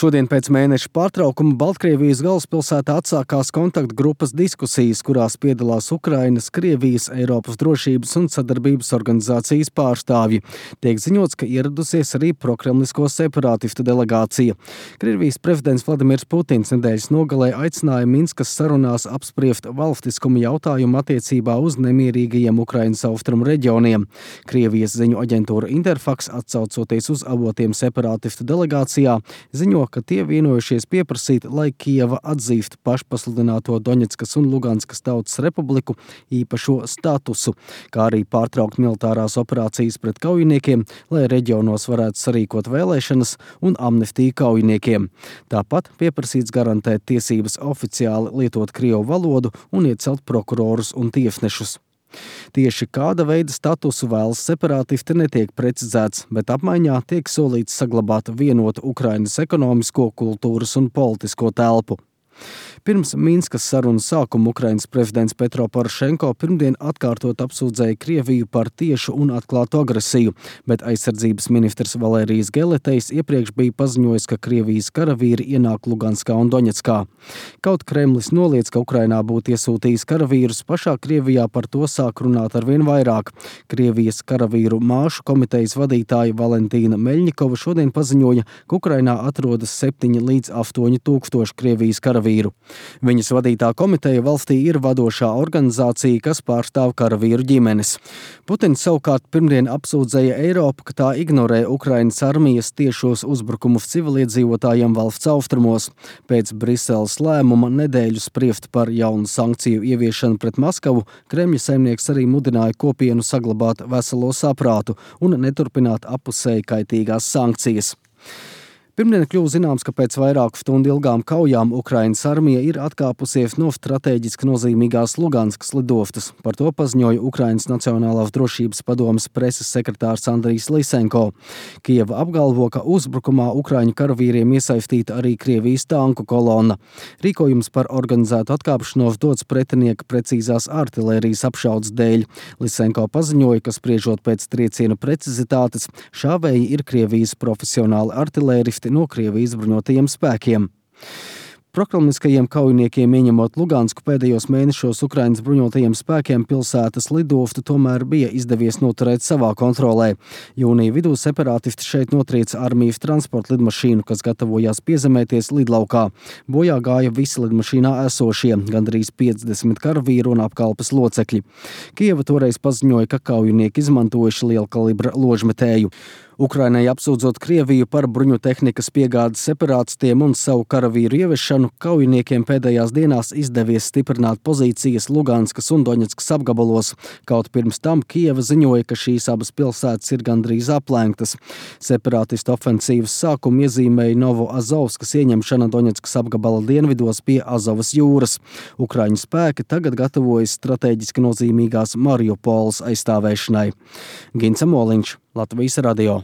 Šodien pēc mēneša pārtraukuma Baltkrievijas galvaspilsētā atsākās kontaktgrupas diskusijas, kurās piedalās Ukrainas, Krievijas, Eiropas drošības un sadarbības organizācijas pārstāvji. Tiek ziņots, ka ieradusies arī prokremlisko separātistu delegācija. Krievijas prezidents Vladimirs Putins nedēļas nogalē aicināja Minskas sarunās apspriest valstiskuma jautājumu attiecībā uz nemierīgajiem Ukrainas austrumu reģioniem. Krievijas ziņu aģentūra Interfax, atsaucoties uz avotiem separātistu delegācijā, ziņo, ka tie vienojušies pieprasīt, lai Kijeva atzīst pašpasludināto Doņetskas un Luganskas tautas republiku īpašo statusu, kā arī pārtraukt militārās operācijas pret kaujiniekiem, lai reģionos varētu sarīkot vēlēšanas un amnestiju kaujiniekiem. Tāpat pieprasīts garantēt tiesības oficiāli lietot krievu valodu un iecelt prokurorus un tiesnešus. Tieši kāda veida statusu vēlas separātisti netiek precizēts, bet apmaiņā tiek solīts saglabāt vienotu Ukrainas ekonomisko, kultūras un politisko telpu. Pirms Minskas sarunas sākuma Ukrainas prezidents Petro Porošenko pirmdien atkārtot apsūdzēja Krieviju par tiešu un atklātu agresiju, bet aizsardzības ministrs Valērijas Geletejs iepriekš bija paziņojis, ka Krievijas karavīri ienāk Luganskā un Doņetskā. Kaut Kremlis noliedz, ka Ukrainā būtu iesūtījis karavīrus, pašā Krievijā par to sāk runāt arvien vairāk. Krievijas karavīru māšu komitejas vadītāja Valentīna Meļņikova šodien paziņoja, ka Ukrainā atrodas 7 līdz 8 tūkstoši Krievijas karavīru. Viņas vadītā komiteja valstī ir vadošā organizācija, kas pārstāv karavīru ģimenes. Putins savukārt pirmdien apsūdzēja Eiropu, ka tā ignorē Ukrainas armijas tiešos uzbrukumus civiliedzīvotājiem valsts austrumos. Pēc Briseles lēmuma nedēļu spriest par jaunu sankciju ieviešanu pret Maskavu, Kremļa saimnieks arī mudināja kopienu saglabāt veselo saprātu un neturpināt appusēji kaitīgās sankcijas. Pirmdien kļuva zināms, ka pēc vairāku stundu ilgām kaujām Ukrainas armija ir atkāpusies no strateģiski nozīmīgās Luganskas lidostas. Par to paziņoja Ukrainas Nacionālās drošības padomes preses sekretārs Andrijs Lisenko. Kijeva apgalvo, ka uzbrukumā ukraiņu karavīriem iesaistīta arī Krievijas tanku kolona. Rīkojums par organizētu atkāpšanos dots pretinieka precīzās artilērijas apšaudes dēļ. Lisenko paziņoja, ka spriežot pēc triecienu precizitātes, šāvēji ir Krievijas profesionāli artilēristi no Krievijas bruņotajiem spēkiem. Prokremliskajiem kaujiniekiem ieņemot Lugansku pēdējos mēnešos Ukrainas bruņotajiem spēkiem pilsētas lidostu tomēr bija izdevies noturēt savā kontrolē. Jūnija vidū separātisti šeit notrieca armijas transporta lidmašīnu, kas gatavojās piezemēties lidlaukā. Bojā gāja visi lidmašīnā esošie, gandrīz 50 karavīru un apkalpes locekļi. Kijeva toreiz paziņoja, ka kaujinieki izmantojuši lielkalibra ložmetēju. Ukrainai apsūdzot Krieviju par bruņu tehnikas piegādes separātistiem un savu karavīru ieviešanu, kaujiniekiem pēdējās dienās izdevies stiprināt pozīcijas Luganskas un Doņetskas apgabalos. Kaut pirms tam Kijeva ziņoja, ka šīs abas pilsētas ir gandrīz aplenktas. Separātistu ofensīvas sākumu iezīmēja Novoazovskas ieņemšana Doņetskas apgabala dienvidos pie Azovas jūras. Ukraiņu spēki tagad gatavojas strateģiski nozīmīgās Mariupoles aizstāvēšanai. Gins Amoliņš, Latvijas radio.